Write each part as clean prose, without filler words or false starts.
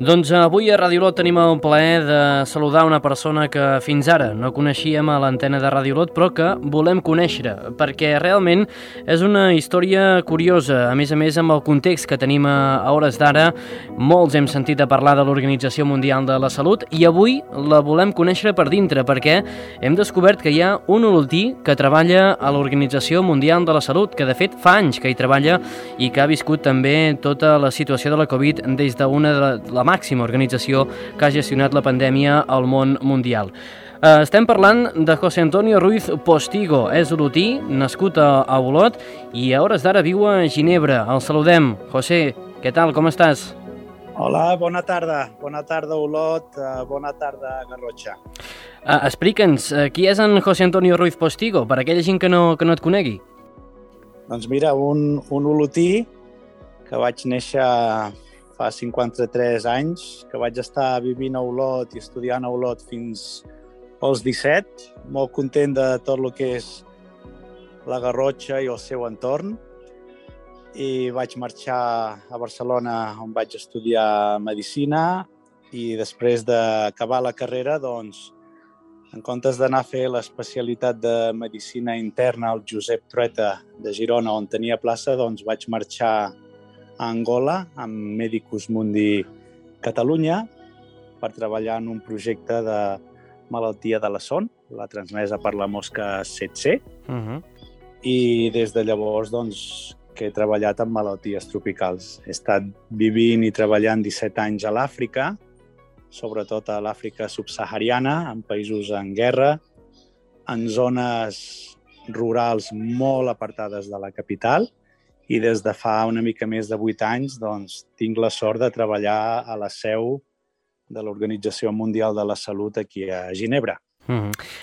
Doncs avui a Ràdio Olot tenim el plaer de saludar una persona que fins ara no coneixíem a l'antena de Ràdio Olot, però que volem conèixer, perquè realment és una història curiosa. A més, amb el context que tenim a hores d'ara, molts hem sentit a parlar de l'Organització Mundial de la Salut i avui la volem conèixer per dintre, perquè hem descobert que hi ha un olotí que treballa a l'Organització Mundial de la Salut, que de fet fa anys que hi treballa i que ha viscut també tota la situació de la Covid des d'una de la màxima organització que ha gestionat la pandèmia al món mundial. Estem parlant de José Antonio Ruiz Postigo. És olotí, nascut a Olot i a hores d'ara viu a Ginebra. El saludem. José, què tal? Com estàs? Hola, bona tarda. Bona tarda, Olot. Bona tarda, Garrotxa. Explica'ns, qui és en José Antonio Ruiz Postigo, per aquella gent que no et conegui? Doncs mira, un olotí que vaig néixer fa 53 anys, que vaig estar vivint a Olot i estudiant a Olot fins als 17, molt content de tot el que és la Garrotxa i el seu entorn, i vaig marxar a Barcelona on vaig estudiar Medicina i després d'acabar la carrera, doncs, en comptes d'anar a fer l'especialitat de Medicina Interna al Josep Trueta de Girona, on tenia plaça, doncs vaig marxar a Angola, amb Medicus Mundi Catalunya, per treballar en un projecte de malaltia de la son, la transmesa per la mosca tsetse. I des de llavors, doncs, que he treballat en malalties tropicals. He estat vivint i treballant 17 anys a l'Àfrica, sobretot a l'Àfrica subsahariana, en països en guerra, en zones rurals molt apartades de la capital, i des de fa una mica més de 8 anys doncs, tinc la sort de treballar a la seu de l'Organització Mundial de la Salut aquí a Ginebra.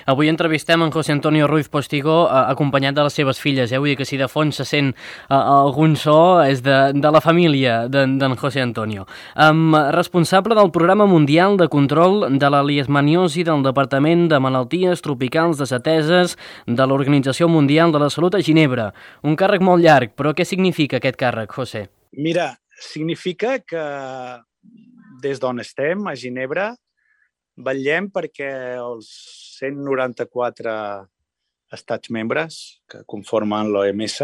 Avui entrevistem en José Antonio Ruiz Postigo acompanyat de les seves filles. Vull dir que si de fons se sent algun so és de la família d'en José Antonio. Responsable del Programa Mundial de Control de la Leishmaniosi del Departament de Malalties Tropicals Desateses de l'Organització Mundial de la Salut a Ginebra. Un càrrec molt llarg, però què significa aquest càrrec, José? Mira, significa que des d'on estem, a Ginebra, vetllem perquè els 194 estats membres que conformen l'OMS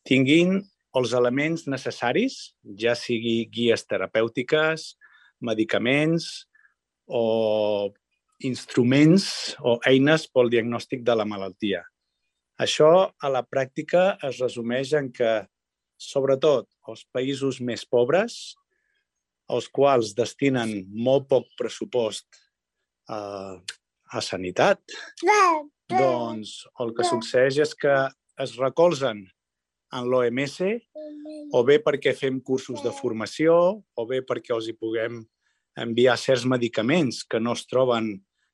tinguin els elements necessaris, ja sigui guies terapèutiques, medicaments o instruments o eines pel diagnòstic de la malaltia. Això, a la pràctica, es resumeix en que, sobretot, els països més pobres, els quals destinen molt poc pressupost a sanitat, doncs el que succeeix és que es recolzen en l'OMS o bé perquè fem cursos de formació o bé perquè els hi puguem enviar certs medicaments que no es troben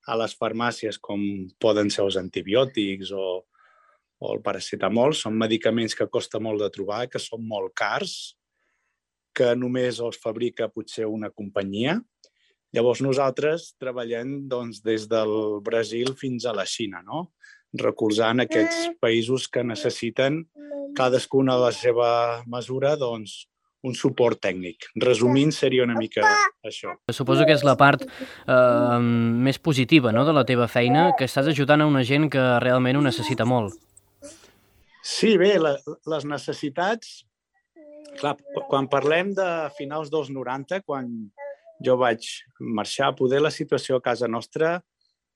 a les farmàcies, com poden ser els antibiòtics o el paracetamol. Són medicaments que costa molt de trobar, que són molt cars, que només els fabrica potser una companyia. Llavors nosaltres treballem doncs, des del Brasil fins a la Xina, no? Recolzant aquests països que necessiten, cadascuna a la seva mesura, doncs, un suport tècnic. Resumint, seria una mica això. Suposo que és la part més positiva, no?, de la teva feina, que estàs ajudant a una gent que realment ho necessita molt. Sí, bé, les necessitats... Clar, quan parlem de finals dels 90, quan jo vaig marxar, poder la situació a casa nostra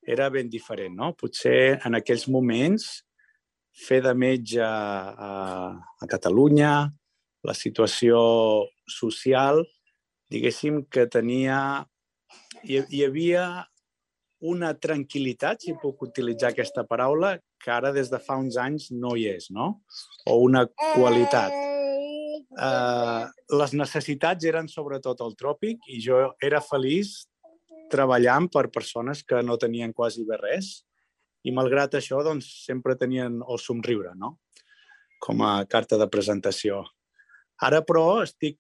era ben diferent, no? Potser en aquells moments fer de metge a Catalunya, la situació social, diguéssim que hi havia una tranquil·litat, si puc utilitzar aquesta paraula, que ara des de fa uns anys no hi és, no? O una qualitat. Les necessitats eren sobretot al tròpic i jo era feliç treballant per persones que no tenien quasi bé res i malgrat això doncs, sempre tenien el somriure, no? Com a carta de presentació. Ara però estic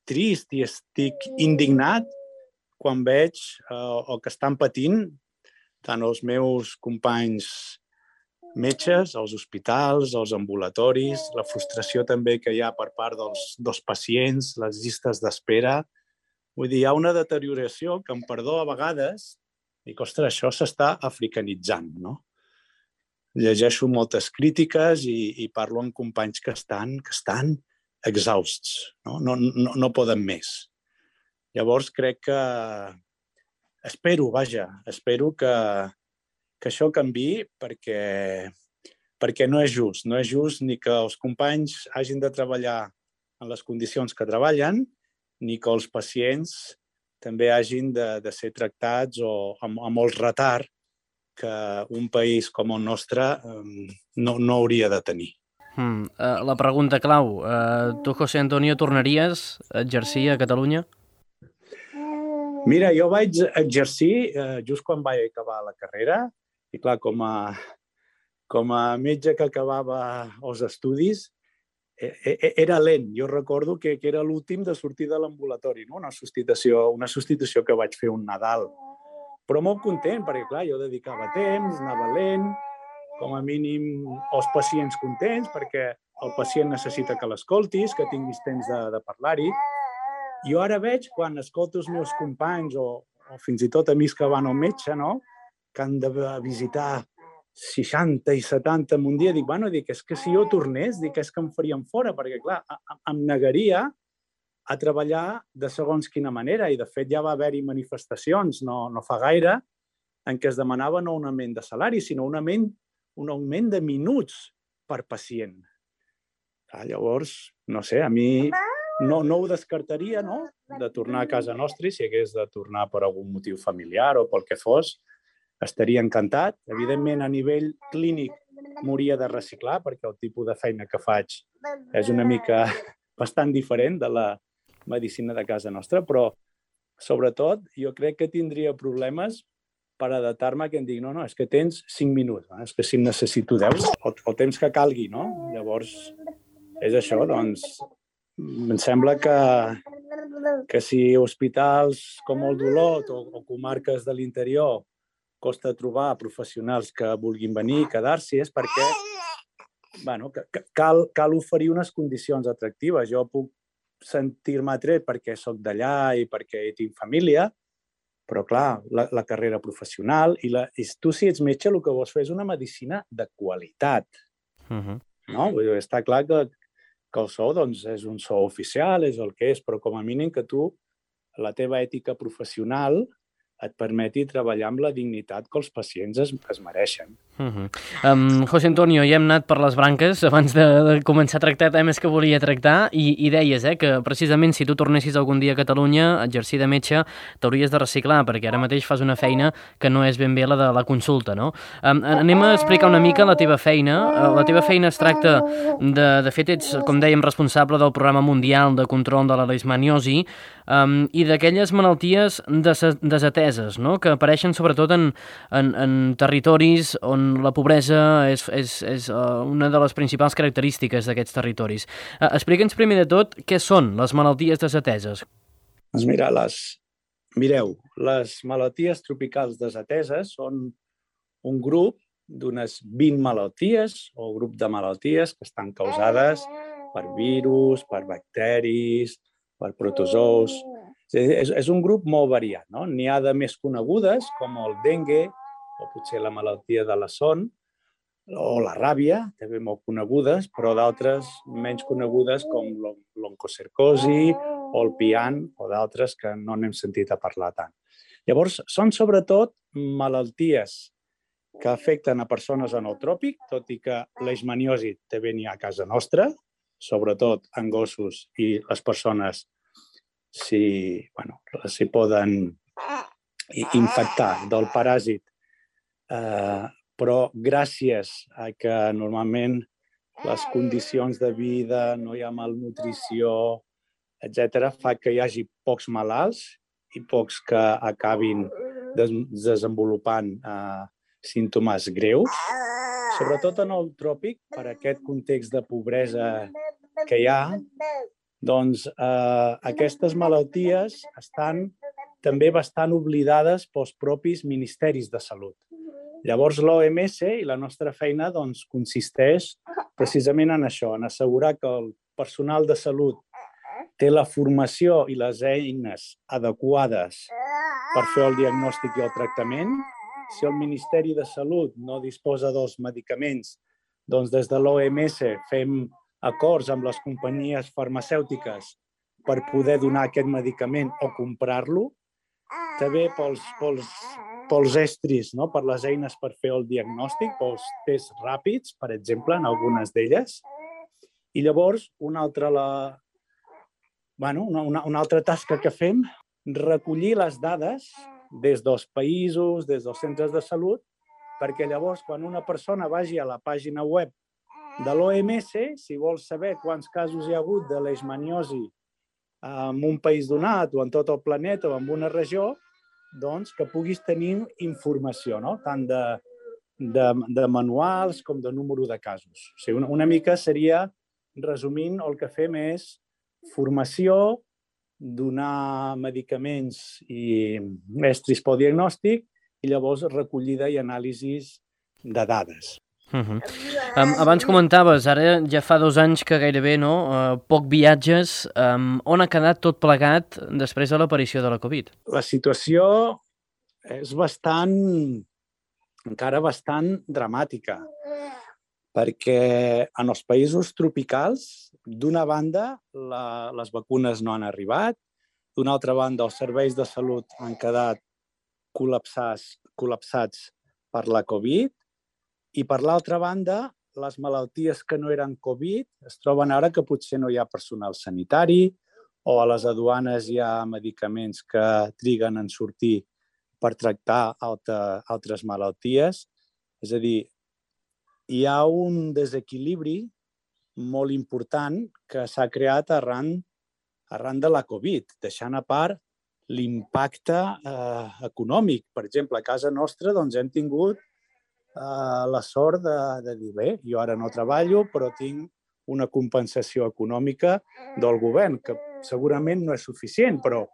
trist i estic indignat quan veig el que estan patint tant els meus companys metges, als hospitals, als ambulatoris, la frustració també que hi ha per part dels pacients, les llistes d'espera, Vull dir, hi ha una deterioració que, amb perdó, a vegades, dic, ostres, això s'està africanitzant, no? Llegeixo moltes crítiques i parlo amb companys que estan exhausts, no poden més. Llavors crec que espero que això canviï perquè no és just ni que els companys hagin de treballar en les condicions que treballen, ni que els pacients també hagin de ser tractats amb molt retard que un país com el nostre no hauria de tenir. La pregunta clau, tu, José Antonio, tornaries a exercir a Catalunya? Mira, jo vaig exercir just quan vaig acabar la carrera i, clar, com a metge que acabava els estudis, era lent. Jo recordo que era l'últim de sortir de l'ambulatori, no? Una substitució que vaig fer un Nadal. Però molt content, perquè, clar, jo dedicava temps, anava lent, com a mínim els pacients contents, perquè el pacient necessita que l'escoltis, que tinguis temps de parlar-hi. Jo ara veig, quan escolto els meus companys o fins i tot amics que van al metge, no?, que han de visitar 60 i 70 en un dia, dic, és que si jo tornés, és que em farien fora, perquè, clar, em negaria a treballar de segons quina manera, i de fet ja va haver-hi manifestacions no fa gaire en què es demanava no un augment de salari, sinó un augment de minuts per pacient. Llavors, no sé, a mi no ho descartaria, no?, de tornar a casa nostra, si hagués de tornar per algun motiu familiar o pel que fos, estaria encantat. Evidentment, a nivell clínic m'hauria de reciclar, perquè el tipus de feina que faig és una mica bastant diferent de la medicina de casa nostra, però sobretot jo crec que tindria problemes per adaptar-me, que em digui, no, és que tens 5 minuts, és que si necessito 10, o temps que calgui, no? Llavors, és això, doncs, em sembla que si hospitals com el d'Olot o comarques de l'interior costa trobar professionals que vulguin venir i quedar-s'hi, és perquè cal oferir unes condicions atractives. Jo puc sentir-me atret perquè soc d'allà i perquè tinc família, però, clar, la carrera professional i tu, si ets metge, el que vols fer és una medicina de qualitat. No? Està clar que el sou és un sou oficial, és el que és, però com a mínim que tu, la teva ètica professional, et permeti treballar amb la dignitat que els pacients es mereixen. José Antonio, ja hem anat per les branques abans de començar a tractar temes que volia tractar i deies que precisament si tu tornessis algun dia a Catalunya a exercir de metge t'hauries de reciclar, perquè ara mateix fas una feina que no és ben bé la de la consulta, no? Anem a explicar una mica la teva feina. La teva feina es tracta de fet, ets, com dèiem, responsable del Programa Mundial de Control de la Leishmaniosi i d'aquelles malalties desateses, no?, que apareixen sobretot en territoris on la pobresa és una de les principals característiques d'aquests territoris. Explica'ns primer de tot què són les malalties desateses. Doncs mireu, les malalties tropicals desateses són un grup d'unes 20 malalties o grup de malalties que estan causades per virus, per bacteris, per protozous. És un grup molt variat, no? N'hi ha de més conegudes, com el dengue, o potser la malaltia de la son, o la ràbia, també molt conegudes, però d'altres menys conegudes, com l'oncocercosi o el pian, o d'altres que no n'hem sentit a parlar tant. Llavors, són sobretot malalties que afecten a persones en el tròpic, tot i que leishmaniosi també n'hi ha a casa nostra, sobretot en gossos i les persones si poden infectar del paràsit, però gràcies a que normalment les condicions de vida, no hi ha malnutrició, etc., fa que hi hagi pocs malalts i pocs que acabin desenvolupant símptomes greus, sobretot en el tròpic, per aquest context de pobresa que hi ha. Doncs aquestes malalties estan també bastant oblidades pels propis ministeris de salut. Llavors, l'OMS i la nostra feina consisteix precisament en això, en assegurar que el personal de salut té la formació i les eines adequades per fer el diagnòstic i el tractament. Si el Ministeri de Salut no disposa dels medicaments, doncs des de l'OMS fem acords amb les companyies farmacèutiques per poder donar aquest medicament o comprar-lo. També pels estris, no? Per les eines per fer el diagnòstic, pels tests ràpids, per exemple, en algunes d'elles. I llavors, una altra tasca que fem, recollir les dades des dels països, des dels centres de salut, perquè llavors, quan una persona vagi a la pàgina web de l'OMS, si vol saber quants casos hi ha hagut de leishmaniosi en un país donat o en tot el planeta o en una regió, doncs que puguis tenir informació, no? Tant de manuals com de número de casos. O sigui, una mica seria, resumint, el que fem és formació, donar medicaments i estris pel diagnòstic i llavors recollida i anàlisis de dades. Abans comentaves, ara ja fa 2 anys que gairebé poc viatges. On ha quedat tot plegat després de l'aparició de la Covid? La situació és encara bastant dramàtica, perquè en els països tropicals, d'una banda, les vacunes no han arribat, d'una altra banda, els serveis de salut han quedat col·lapsats per la Covid, i per l'altra banda, les malalties que no eren Covid es troben ara que potser no hi ha personal sanitari o a les aduanes hi ha medicaments que triguen en sortir per tractar altres malalties. És a dir, hi ha un desequilibri molt important que s'ha creat arran de la Covid, deixant a part l'impacte econòmic. Per exemple, a casa nostra hem tingut la sort de dir, bé, jo ara no treballo, però tinc una compensació econòmica del govern, que segurament no és suficient, però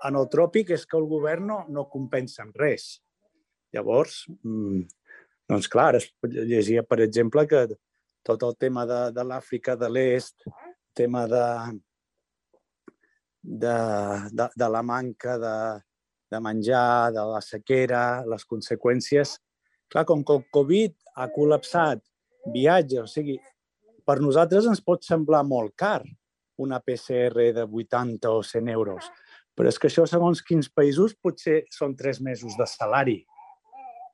en el tròpic és que el govern no compensa amb res. Llavors, doncs clar, es llegia, per exemple, que tot el tema de l'Àfrica de l'Est, el tema de la manca de menjar, de la sequera, les conseqüències. Clar, com que el Covid ha col·lapsat viatges, o sigui, per nosaltres ens pot semblar molt car una PCR de 80 o 100 euros, però és que això, segons quins països, potser són 3 mesos de salari.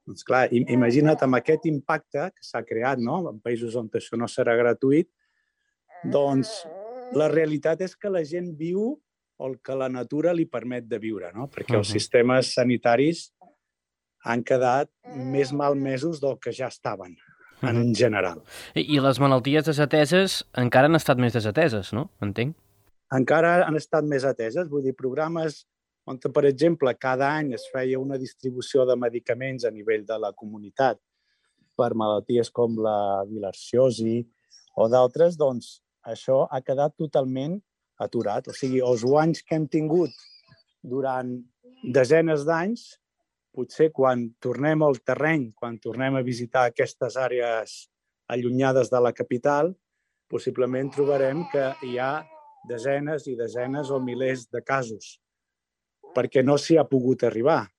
Doncs clar, imagina't amb aquest impacte que s'ha creat, no? En països on això no serà gratuït, doncs la realitat és que la gent viu el que la natura li permet de viure, no? Perquè els sistemes sanitaris han quedat més malmesos del que ja estaven, en general. I les malalties desateses encara han estat més desateses, no? Entenc. Encara han estat més ateses. Vull dir, programes on, per exemple, cada any es feia una distribució de medicaments a nivell de la comunitat per malalties com la bilharciosi o d'altres, doncs això ha quedat totalment aturat. O sigui, els guanys que hem tingut durant desenes d'anys, potser quan tornem al terreny, quan tornem a visitar aquestes àrees allunyades de la capital, possiblement trobarem que hi ha desenes i desenes o milers de casos, perquè no s'hi ha pogut arribar.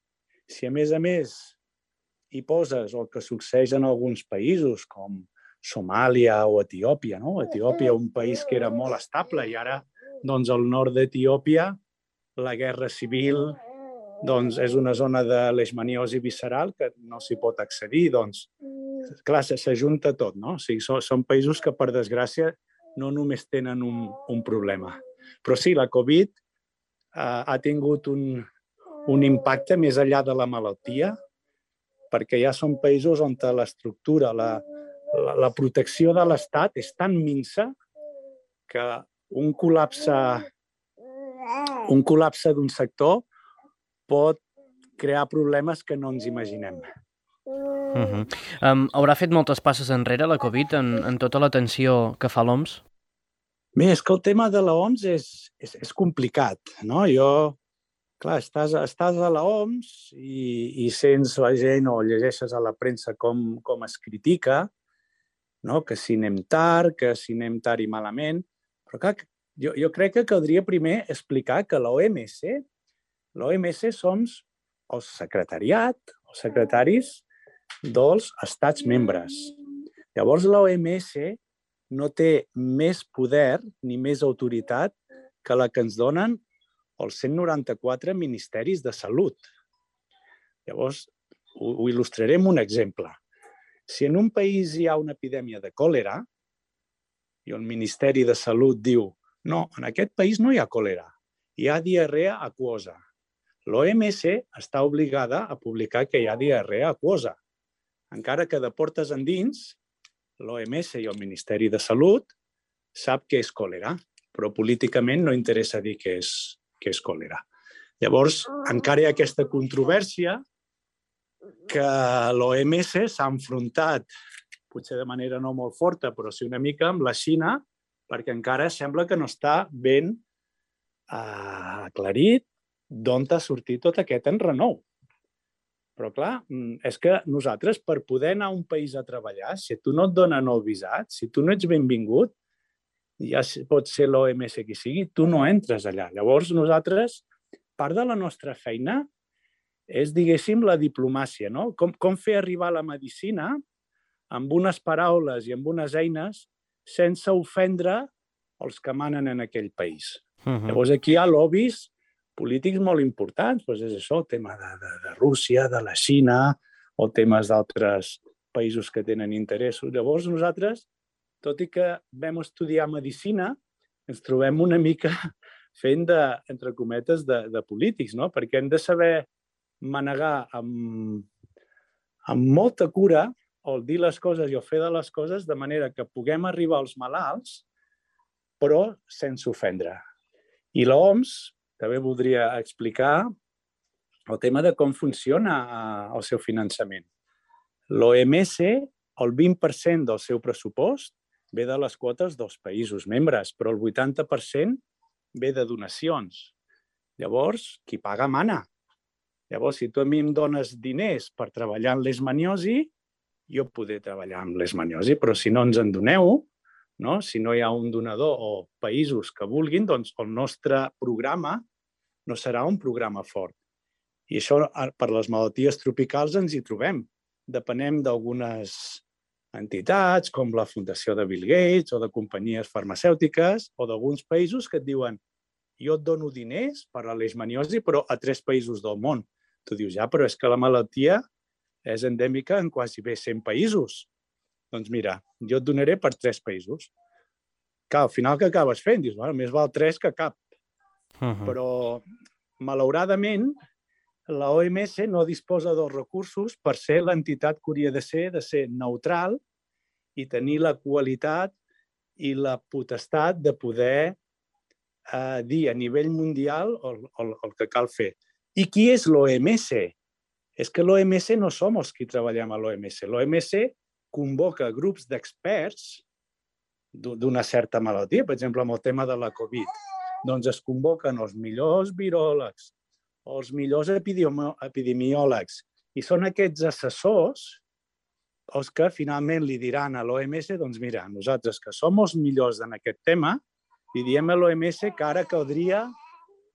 Si a més hi poses el que succeeix en alguns països, com Somàlia o Etiòpia, no? Etiòpia, un país que era molt estable, i ara, doncs, al nord d'Etiòpia, la guerra civil, doncs és una zona de leishmaniosi visceral que no s'hi pot accedir, doncs, clar, s'ajunta tot, no? O sigui, són països que, per desgràcia, no només tenen un problema. Però sí, la Covid ha tingut un impacte més enllà de la malaltia, perquè ja són països on l'estructura, la protecció de l'Estat és tan minsa que un col·lapse d'un sector pot crear problemes que no ens imaginem. Haurà fet moltes passes enrere la Covid en tota l'atenció que fa l'OMS? Bé, és que el tema de l'OMS és complicat, no? Clar, estàs a l'OMS i sents la gent o llegeixes a la premsa com es critica, no? Que si anem tard i malament, però clar, Jo crec que caldria primer explicar que l'OMS som els secretaris dels estats membres. Llavors, l'OMS no té més poder ni més autoritat que la que ens donen els 194 ministeris de salut. Llavors, ho il·lustraré amb un exemple. Si en un país hi ha una epidèmia de còlera i el Ministeri de Salut diu no, en aquest país no hi ha còlera, hi ha diarrea aquosa. L'OMS està obligada a publicar que hi ha diarrea aquosa. Encara que de portes endins, l'OMS i el Ministeri de Salut sap què és còlera, però políticament no interessa dir què és còlera. Llavors, encara hi ha aquesta controvèrsia que l'OMS s'ha enfrontat, potser de manera no molt forta, però sí una mica amb la Xina, perquè encara sembla que no està ben aclarit d'on ha sortit tot aquest enrenou. Però, clar, és que nosaltres, per poder anar a un país a treballar, si tu no et donen el visat, si tu no ets benvingut, ja pot ser l'OMS qui sigui, tu no entres allà. Llavors, nosaltres, part de la nostra feina és, diguéssim, la diplomàcia, no? Com fer arribar la medicina amb unes paraules i amb unes eines sense ofendre els que manen en aquell país. Llavors, aquí hi ha lobbies polítics molt importants, doncs és això, el tema de Rússia, de la Xina, o temes d'altres països que tenen interessos. Llavors, nosaltres, tot i que vam estudiar medicina, ens trobem una mica fent entre cometes, de polítics, no? Perquè hem de saber manegar amb molta cura o dir les coses i o fer de les coses de manera que puguem arribar als malalts, però sense ofendre. I l'OMS també voldria explicar el tema de com funciona el seu finançament. L'OMS, el 20% del seu pressupost ve de les quotes dels països membres, però el 80% ve de donacions. Llavors, qui paga mana. Llavors, si tu a mi em dones diners per treballar en leishmaniosi, jo podré treballar amb leishmaniosi, però si no ens en doneu, no? Si no hi ha un donador o països que vulguin, doncs el nostre programa no serà un programa fort. I això, per les malalties tropicals, ens hi trobem. Depenem d'algunes entitats, com la Fundació de Bill Gates o de companyies farmacèutiques o d'alguns països que et diuen jo et dono diners per a la leishmaniosi, però a 3 països del món. Tu dius, ja, però és que la malaltia és endèmica en quasi bé 100 països. Doncs mira, jo et donaré per 3 països. Que al final què acabes fent? Dius, bueno, més val 3 que cap. Però, malauradament, la OMS no disposa dels recursos per ser l'entitat que hauria de ser neutral i tenir la qualitat i la potestat de poder dir a nivell mundial el que cal fer. I qui és l'OMS? És que l'OMS no som els que treballem a l'OMS. L'OMS convoca grups d'experts d'una certa malaltia, per exemple, amb el tema de la Covid. Doncs es convoquen els millors viròlegs, els millors epidemiòlegs, i són aquests assessors els que finalment li diran a l'OMS, doncs mira, nosaltres que som els millors en aquest tema, li diem a l'OMS que ara caldria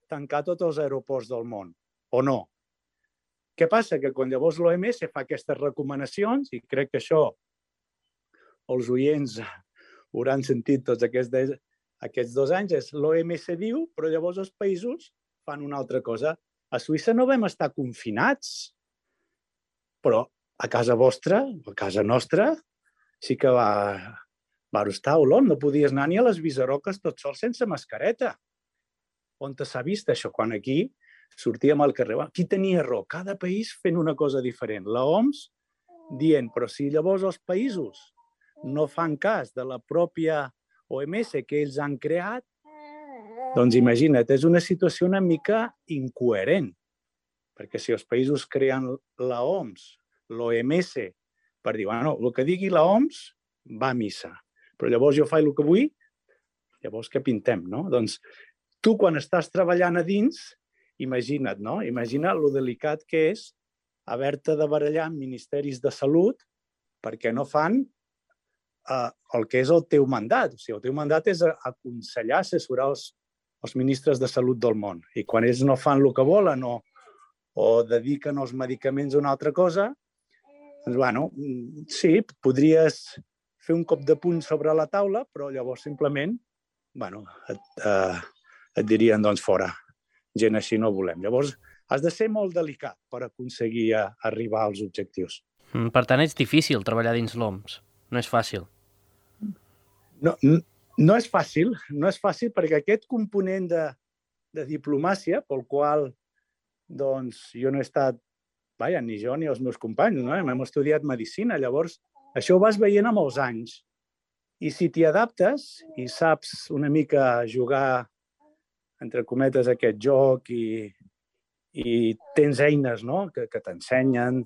tancar tots els aeroports del món, o no. Què passa? Que quan llavors l'OMS fa aquestes recomanacions, i crec que això els oients hauran sentit tots aquests 2 anys, és l'OMS diu, però llavors els països fan una altra cosa. A Suïssa no vam estar confinats, però a casa vostra, a casa nostra, sí que va estar a Olot. No podies anar ni a les Visaroques tot sol sense mascareta. On s'ha vist això? Quan aquí sortíem al carrer. Qui tenia raó? Cada país fent una cosa diferent. L'OMS dient, però si llavors els països no fan cas de la pròpia OMS que ells han creat, doncs imagina't, és una situació una mica incoherent. Perquè si els països creen l'OMS, l'OMS, per dir, bueno, el que digui l'OMS va a missa. Però llavors jo faig el que vull, llavors què pintem, no? Doncs tu, quan estàs treballant a dins, imagina't, no? Imagina lo delicat que és haver-te de barallar amb ministeris de salut perquè no fan el que és el teu mandat. O sigui, el teu mandat és aconsellar, assessorar els ministres de salut del món. I quan ells no fan el que volen o dediquen els medicaments a una altra cosa, doncs, bueno, sí, podries fer un cop de puny sobre la taula, però llavors simplement et dirien, doncs, fora. Gent així no volem. Llavors, has de ser molt delicat per aconseguir arribar als objectius. Per tant, és difícil treballar dins l'OMS. No és fàcil. No és fàcil perquè aquest component de diplomàcia, pel qual doncs, jo no he estat, ni jo ni els meus companys, no? Hem estudiat medicina, llavors això ho vas veient amb els anys. I si t'hi adaptes i saps una mica jugar, entre cometes, aquest joc i tens eines, no?, que t'ensenyen,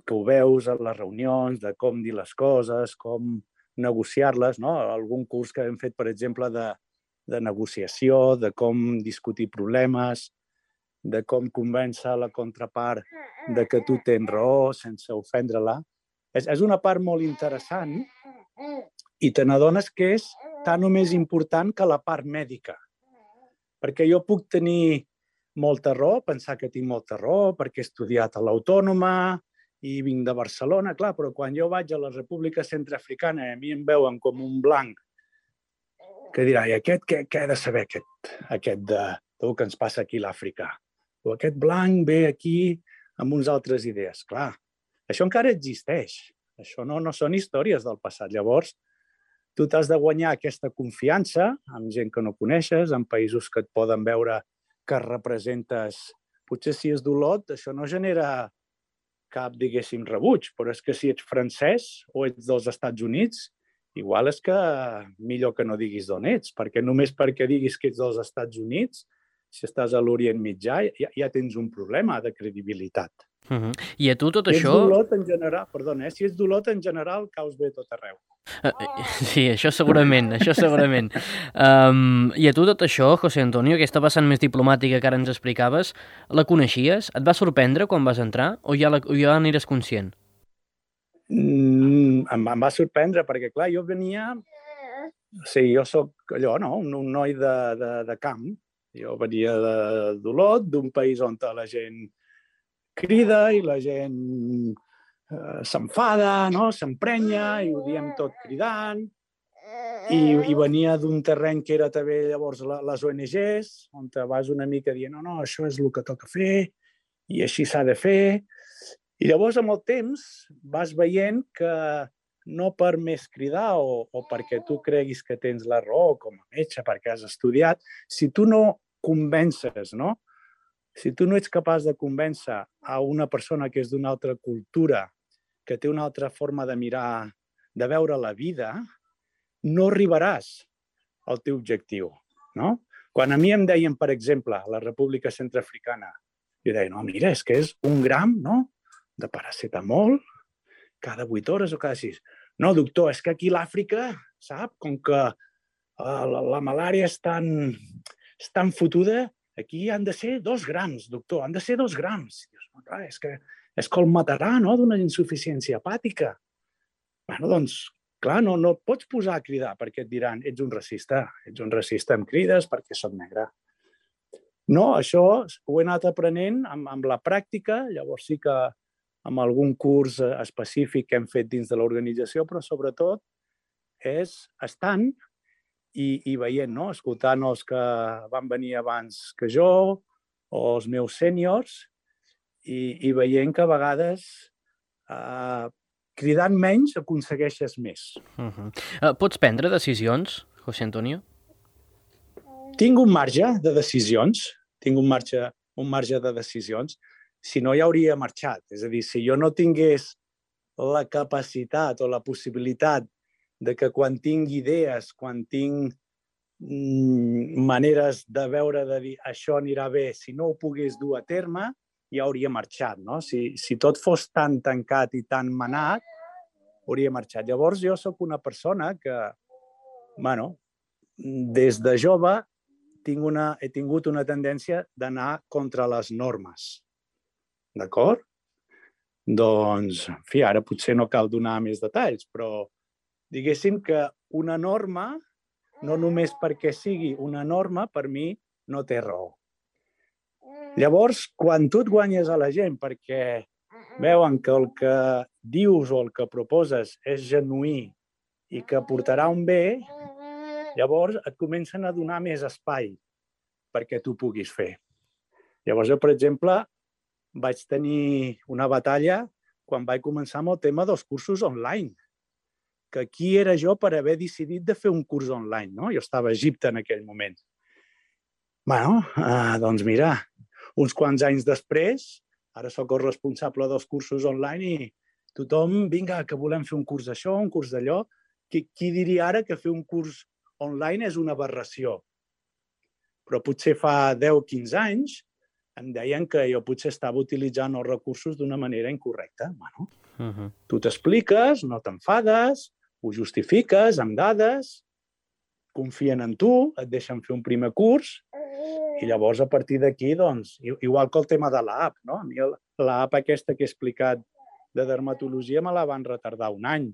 que ho veus a les reunions, de com dir les coses, com negociar-les, no? Algun curs que hem fet, per exemple, de negociació, de com discutir problemes, de com convèncer la contrapart de que tu tens raó sense ofendre-la. És una part molt interessant i te n'adones que és tan o més important que la part mèdica. Perquè jo puc tenir molta raó, pensar que tinc molta raó, perquè he estudiat a l'Autònoma i vinc de Barcelona, clar, però quan jo vaig a la República Centreafricana i a mi em veuen com un blanc que dirà, i aquest què ha de saber, aquest del que ens passa aquí a l'Àfrica? O aquest blanc ve aquí amb uns altres idees. Clar, això encara existeix. Això no són històries del passat. Llavors, tu t'has de guanyar aquesta confiança amb gent que no coneixes, en països que et poden veure que representes. Potser si és d'Olot, això no genera cap, diguéssim, rebuig, però és que si ets francès o ets dels Estats Units, igual és que millor que no diguis d'on ets, perquè només perquè diguis que ets dels Estats Units, si estàs a l'Orient Mitjà, ja tens un problema de credibilitat. I a tu tot això... això... Si ets d'Olot, en general, caus bé tot arreu. Sí, això segurament. I a tu tot això, José Antonio, aquesta vessant més diplomàtica que ara ens explicaves, la coneixies? Et va sorprendre quan vas entrar o ja n'eres conscient? Em va sorprendre perquè, clar, jo venia... Sí, jo soc allò, no? Un noi de camp. Jo venia d'Olot, d'un país on la gent crida i la gent s'enfada, no? S'emprenya i ho diem tot cridant. I venia d'un terreny que era també llavors les ONGs, on vas una mica dient no, això és el que toca fer i així s'ha de fer. I llavors, amb el temps, vas veient que no per més cridar o perquè tu creguis que tens la raó com a metge, perquè has estudiat, si tu no convences, no? Si tu no ets capaç de convèncer a una persona que és d'una altra cultura, que té una altra forma de mirar, de veure la vida, no arribaràs al teu objectiu, no? Quan a mi em deien, per exemple, a la República Centreafricana, jo deia, no, mira, és que és 1 gram, no?, de paracetamol cada 8 hores o cada 6. No, doctor, és que aquí a l'Àfrica, sap, com que la malària és tan fotuda, aquí han de ser 2 grams, doctor, han de ser 2 grams. Dius, no, clar, és que el matarà, no?, d'una insuficiència hepàtica. Bueno, doncs, clar, no et pots posar a cridar perquè et diran, ets un racista, em crides perquè soc negre. No, això ho he anat aprenent amb la pràctica, llavors sí que amb algun curs específic que hem fet dins de l'organització, però sobretot és estant i veient, no? Escoltant els que van venir abans que jo o els meus sèniors i veient que a vegades cridant menys aconsegueixes més. Pots prendre decisions, José Antonio? Tinc un marge de decisions, de decisions, si no ja hauria marxat. És a dir, si jo no tingués la capacitat o la possibilitat de que quan tinc idees, quan tinc maneres de veure, de dir això anirà bé, si no ho pogués dur a terme, ja hauria marxat, no? Si tot fos tan tancat i tan manat, hauria marxat. Llavors jo sóc una persona que, des de jove he tingut una tendència d'anar contra les normes. D'acord? Doncs, en fi, ara potser no cal donar més detalls, però diguéssim que una norma, no només perquè sigui una norma, per mi no té raó. Llavors, quan tu et guanyes a la gent perquè veuen que el que dius o el que proposes és genuí i que portarà un bé, llavors et comencen a donar més espai perquè tu puguis fer. Llavors, jo, per exemple, vaig tenir una batalla quan vaig començar amb el tema dels cursos online. Que qui era jo per haver decidit de fer un curs online, no? Jo estava a Egipte en aquell moment. Doncs mira, uns quants anys després, ara sóc el responsable dels cursos online i tothom, vinga, que volem fer un curs d'això, un curs d'allò. Qui diria ara que fer un curs online és una aberració? Però potser fa 10 o 15 anys em deien que jo potser estava utilitzant els recursos d'una manera incorrecta. Tu t'expliques, no t'enfades, ho justifiques amb dades, confien en tu, et deixen fer un primer curs i llavors a partir d'aquí, doncs, igual que el tema de l'app, no? A mi l'app aquesta que he explicat de dermatologia me la van retardar un any.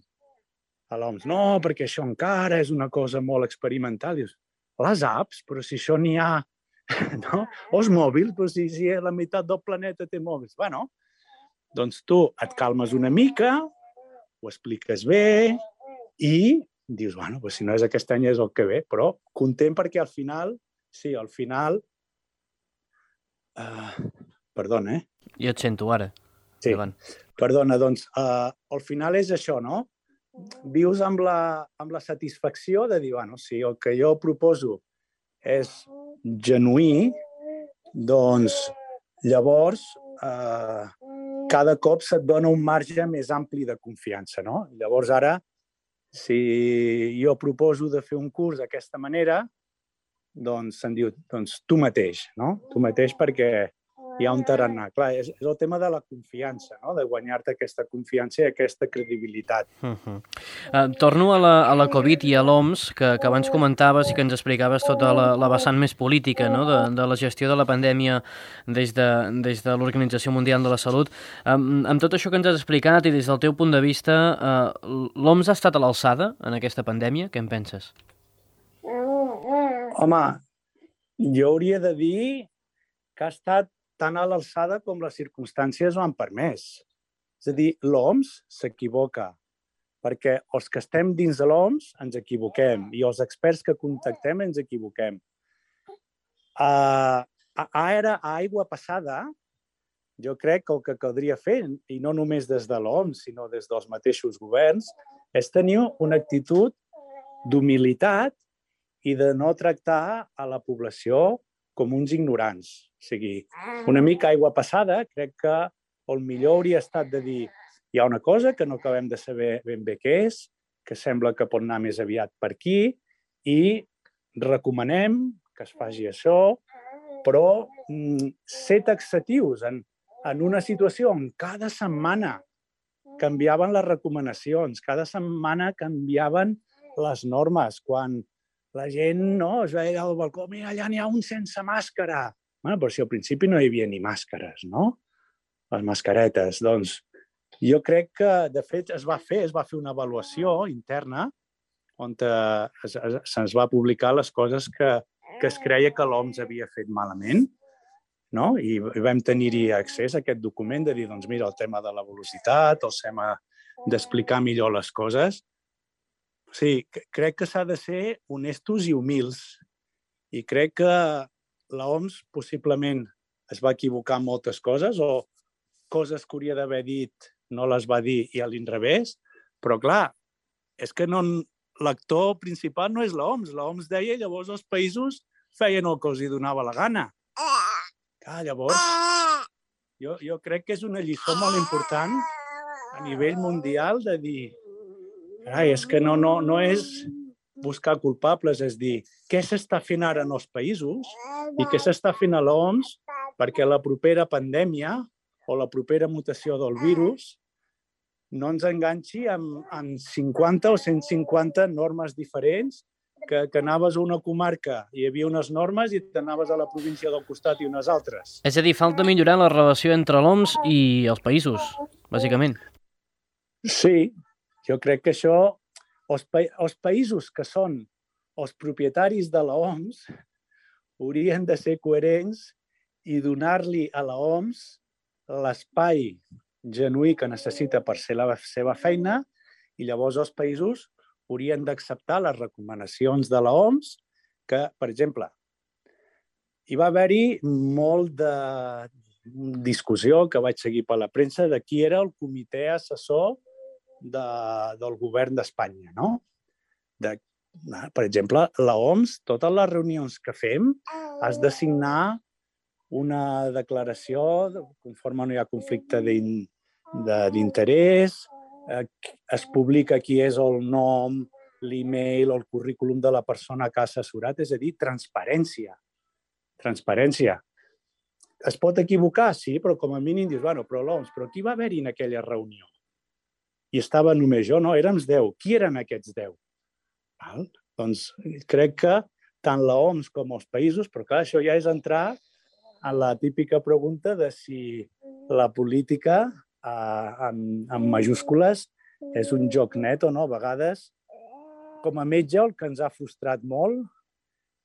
A l'OMS, no, perquè això encara és una cosa molt experimental. Dius, les apps, però si això n'hi ha, no? O els mòbils, però si la meitat del planeta té mòbils. Bueno, doncs tu et calmes una mica, ho expliques bé i dius, bueno, pues si no és aquest any és el que ve, però content perquè al final, perdona, Jo et sento ara. Sí, Endavant. perdona, doncs al final és això, no? Vius amb la satisfacció de dir, bueno, si el que jo proposo és genuí, doncs llavors cada cop se't dona un marge més ampli de confiança, no? Llavors ara, si jo proposo de fer un curs d'aquesta manera, doncs se'n diu, doncs tu mateix, no? Tu mateix perquè hi ha un tarannà. Clar, és el tema de la confiança, no? De guanyar-te aquesta confiança i aquesta credibilitat. Torno a la Covid i a l'OMS, que abans comentaves i que ens explicaves tota la vessant més política, no? de la gestió de la pandèmia des de l'Organització Mundial de la Salut. Amb tot això que ens has explicat i des del teu punt de vista, l'OMS ha estat a l'alçada en aquesta pandèmia? Què en penses? Home, jo hauria de dir que ha estat tan a l'alçada com les circumstàncies ho han permès. És a dir, l'OMS s'equivoca, perquè els que estem dins de l'OMS ens equivoquem i els experts que contactem ens equivoquem. A aigua passada, jo crec que el que caldria fer, i no només des de l'OMS, sinó des dels mateixos governs, és tenir una actitud d'humilitat i de no tractar a la població com uns ignorants. O sigui, una mica aigua passada, crec que el millor hauria estat de dir hi ha una cosa que no acabem de saber ben bé què és, que sembla que pot anar més aviat per aquí i recomanem que es faci això, però ser taxatius en una situació on cada setmana canviaven les recomanacions, cada setmana canviaven les normes, quan la gent es veia al balcó, mira, allà n'hi ha un sense màscara. Bueno, però si al principi no hi havia ni màscares, no? Les mascaretes. Doncs jo crec que, de fet, es va fer una avaluació interna on se'ns va publicar les coses que es creia que l'OMS havia fet malament, no? I vam tenir-hi accés a aquest document de dir, doncs mira, el tema de la velocitat, el tema d'explicar millor les coses. Sí, crec que s'ha de ser honestos i humils. I crec que l'OMS possiblement es va equivocar en moltes coses o coses que hauria d'haver dit no les va dir i a l'inrevés. Però, clar, és que l'actor principal no és l'OMS. L'OMS deia i llavors els països feien el que els hi donava la gana. Clar, llavors, jo crec que és una lliçó molt important a nivell mundial de dir és que no és buscar culpables, és dir, què s'està fent ara en els països i què s'està fent a l'OMS perquè la propera pandèmia o la propera mutació del virus no ens enganxi amb 50 o 150 normes diferents, que anaves a una comarca i hi havia unes normes i t'anaves a la província del costat i unes altres. És a dir, falta millorar la relació entre l'OMS i els països, bàsicament. Sí, jo crec que això Els països que són els propietaris de l'OMS haurien de ser coherents i donar-li a l'OMS l'espai genuí que necessita per fer la seva feina, i llavors els països haurien d'acceptar les recomanacions de l'OMS, que, per exemple, hi va haver-hi molt de discussió que vaig seguir per la premsa de qui era el comitè assessor del govern d'Espanya, no? Per exemple, l'OMS, totes les reunions que fem, has de signar una declaració conforme no hi ha conflicte d'interès, es publica qui és el nom, l'email o el currículum de la persona que ha assessorat, és a dir, transparència. Transparència. Es pot equivocar, sí, però com a mínim dius, bueno, però l'OMS, però qui va haver-hi en aquella reunió? I estava només jo, no? Érem 10. Qui eren aquests 10? Val? Doncs crec que tant l'OMS com els països, però clar, això ja és entrar en la típica pregunta de si la política, en majúscules, és un joc net o no. A vegades, com a metge, el que ens ha frustrat molt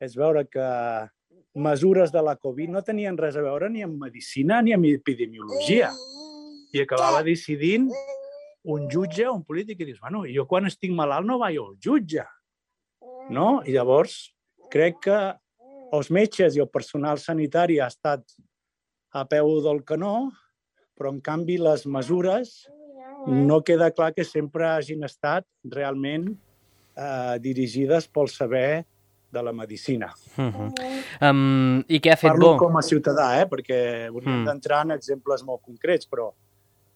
és veure que mesures de la Covid no tenien res a veure ni amb medicina ni amb epidemiologia. I acabava decidint un jutge o un polític i dius, bueno, jo quan estic malalt no vaig al jutge. No? I llavors crec que els metges i el personal sanitari ha estat a peu del canó, però en canvi les mesures no queda clar que sempre hagin estat realment dirigides pel saber de la medicina. I què ha fet Parlo bo? com a ciutadà, perquè hauríem d'entrar en exemples molt concrets, però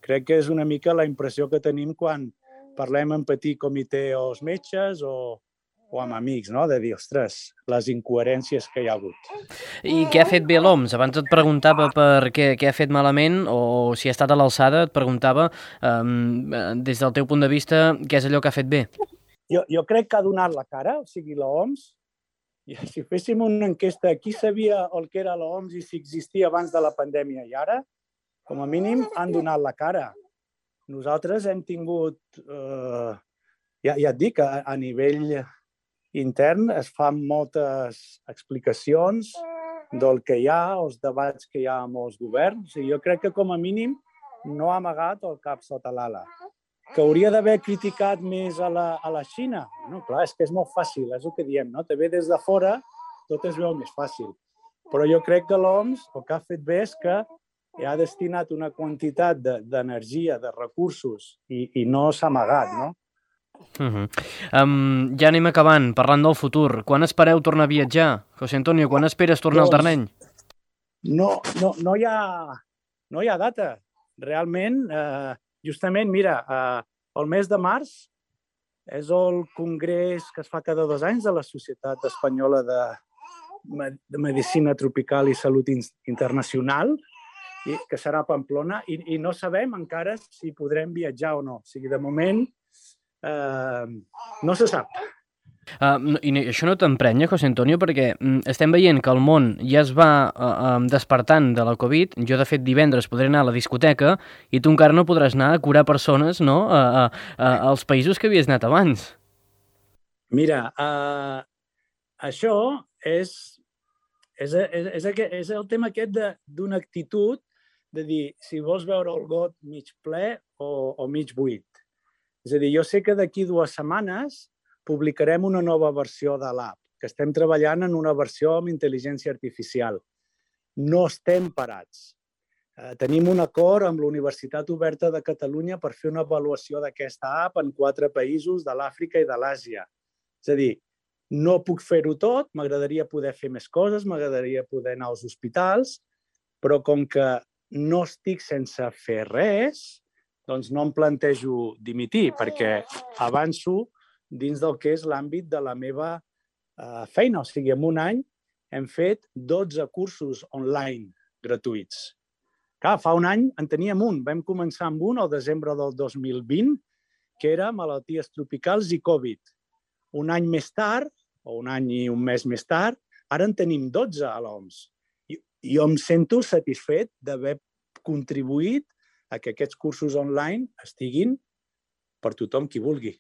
crec que és una mica la impressió que tenim quan parlem en petit comitè o els metges o amb amics, no? De dir, ostres, les incoherències que hi ha hagut. I què ha fet bé l'OMS? Abans et preguntava per què ha fet malament o si ha estat a l'alçada, et preguntava des del teu punt de vista què és allò que ha fet bé. Jo crec que ha donat la cara, o sigui, l'OMS. I si féssim una enquesta, qui sabia el que era l'OMS i si existia abans de la pandèmia i ara, com a mínim han donat la cara. Nosaltres hem tingut, ja et dic, a nivell intern es fan moltes explicacions del que hi ha, els debats que hi ha amb els governs. O sigui, jo crec que com a mínim no ha amagat el cap sota l'ala. Que hauria d'haver criticat més a la Xina? No, clar, és que és molt fàcil, és el que diem, no? Te ve des de fora, tot es veu més fàcil. Però jo crec que l'OMS el que ha fet bé és que ha destinat una quantitat d'energia, de recursos, i no s'ha amagat, no? Ja anem acabant, parlant del futur. Quan espereu tornar a viatjar? José Antonio, quan esperes tornar al terreny? No hi ha data. Realment, justament, mira, el mes de març és el congrés que es fa cada 2 anys de la Societat Espanyola de Medicina Tropical i Salut Internacional, que serà a Pamplona, i no sabem encara si podrem viatjar o no. O sigui, de moment, no se sap. I això no t'emprenya, José Antonio, perquè estem veient que el món ja es va despertant de la Covid. Jo, de fet, divendres podré anar a la discoteca i tu encara no podràs anar a curar persones, no?, als països que havies anat abans. Mira, això és el tema aquest d'una actitud de dir si vols veure el got mig ple o mig buit. És a dir, jo sé que d'aquí 2 setmanes publicarem una nova versió de l'app, que estem treballant en una versió amb intel·ligència artificial. No estem parats. Tenim un acord amb la Universitat Oberta de Catalunya per fer una avaluació d'aquesta app en 4 països de l'Àfrica i de l'Àsia. És a dir, no puc fer-ho tot, m'agradaria poder fer més coses, m'agradaria poder anar als hospitals, però com que no estic sense fer res, doncs no em plantejo dimitir, perquè avanço dins del que és l'àmbit de la meva feina. O sigui, en un any hem fet 12 cursos online gratuïts. Clar, fa un any en teníem un. Vam començar amb un al desembre del 2020, que era malalties tropicals i Covid. Un any més tard, o un any i un mes més tard, ara en tenim 12 a l'OMS. Jo em sento satisfet d'haver contribuït a que aquests cursos online estiguin per tothom qui vulgui.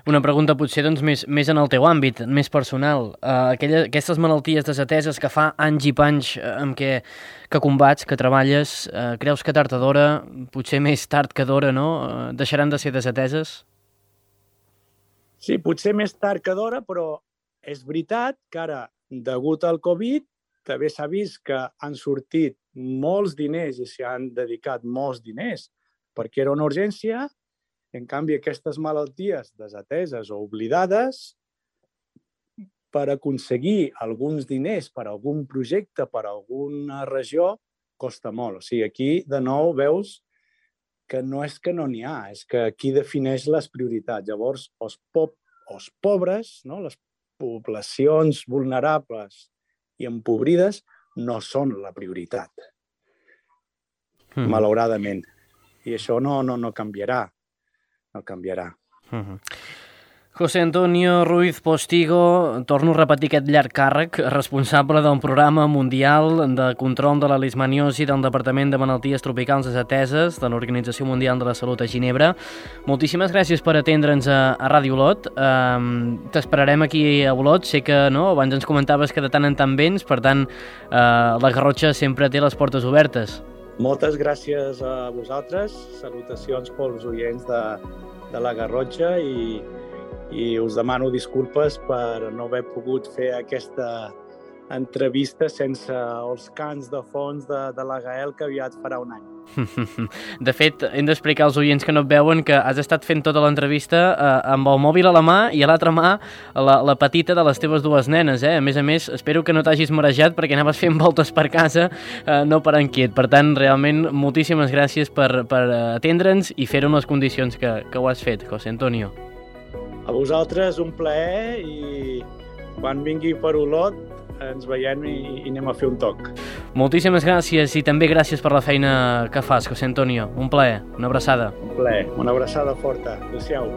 Una pregunta potser doncs, més en el teu àmbit, més personal. Aquestes malalties desateses que fa anys i panys amb que combats, que treballes, creus que tard o d'hora, potser més tard que d'hora, no? Deixaran de ser desateses? Sí, potser més tard que d'hora, però és veritat que ara, degut al Covid, també s'ha vist que han sortit molts diners i s'hi han dedicat molts diners perquè era una urgència. En canvi, aquestes malalties desateses o oblidades, per aconseguir alguns diners per a algun projecte, per a alguna regió, costa molt. O sigui, aquí, de nou, veus que no és que no n'hi ha, és que aquí defineix les prioritats. Llavors, els pobres, no? Les poblacions vulnerables i empobrides no són la prioritat, malauradament. I això no canviarà. No canviarà. José Antonio Ruiz Postigo, torno a repetir aquest llarg càrrec, responsable del Programa Mundial de Control de la Leishmaniosi del Departament de Malalties Tropicals Desateses de l'Organització Mundial de la Salut a Ginebra. Moltíssimes gràcies per atendre'ns a Ràdio Olot. T'esperarem aquí a Olot. Sé que no, abans ens comentaves que de tant en tant vens, per tant, la Garrotxa sempre té les portes obertes. Moltes gràcies a vosaltres, salutacions pels oients de la Garrotxa i us demano disculpes per no haver pogut fer aquesta entrevista sense els cants de fons de la Gael que aviat farà un any. De fet, hem d'explicar als oients que no et veuen que has estat fent tota l'entrevista amb el mòbil a la mà i a l'altra mà la petita de les teves dues nenes. A més, espero que no t'hagis marejat perquè anaves fent voltes per casa, no per inquiet. Per tant, realment, moltíssimes gràcies per atendre'ns i fer-ho en les condicions que ho has fet, José Antonio. A vosaltres un plaer i quan vingui per Olot ens veiem i anem a fer un toc. Moltíssimes gràcies i també gràcies per la feina que fas, José Antonio. Un plaer, una abraçada. Un plaer, una abraçada forta. Adéu-siau.